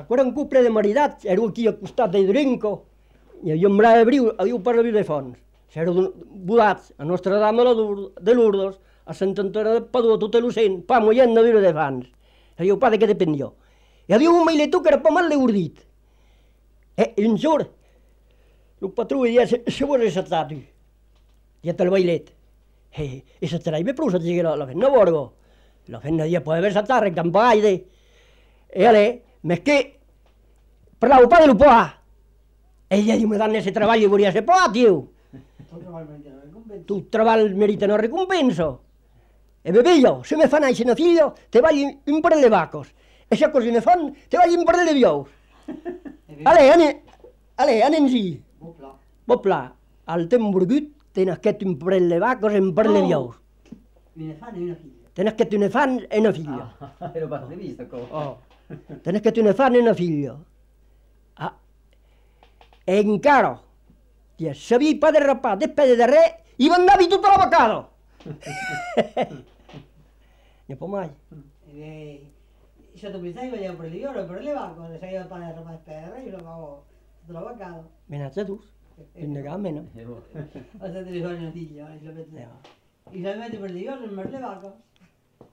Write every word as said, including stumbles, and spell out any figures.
Ancora un couple de maridats, era aquí al costat de Drinco, i havia un bra d'abril, adiu per la de Fons. S'eren volats a Nostra Dama de Lourdes, a Sant Antoni de Padua, tot l'ocent, pa mollent de viure de fans. Adiu, pa, de què depèn jo? I adiu un mailetó que era pa mal l'ordit. Eh, un giorno, il patrone dice, se vuoi resettato, dietro il bailet. E se sarebbe prusa di dire la fenna borgo. La fenna di può aver saltare in campagne. E a lei, ma che parlavo pa dello pa. E gli dico, mi danno se travaglio vorrei essere pa, tio. Tu travagli merita una ricompensa. E bevillo, se mi fanno una figlia, te voglio un po' di vacos. E se così ne fanno, te voglio un po' di vios. Ale, ane, ale, anem sì. Bopla, al tempo burgut, tens que un po' di vacos e un po' di vios. Una fan e una figlia. Tens que una fan e una figlia. Ah, ero pas vista, co. Oh. Tens que una fan e una figlia. Ah. E encara, ti sabia pa de rapar, despede de re, i mandavi tutta la vacada. Ne può mai. Se tu pensavi che vogliamo prendere io, lo prendeva, quando sai il pane rapare per re, io lo avevo tutta la vacada. Menazza tu, in negamena. O se te li fai una figlia, e se la mette per le io, non me le vago.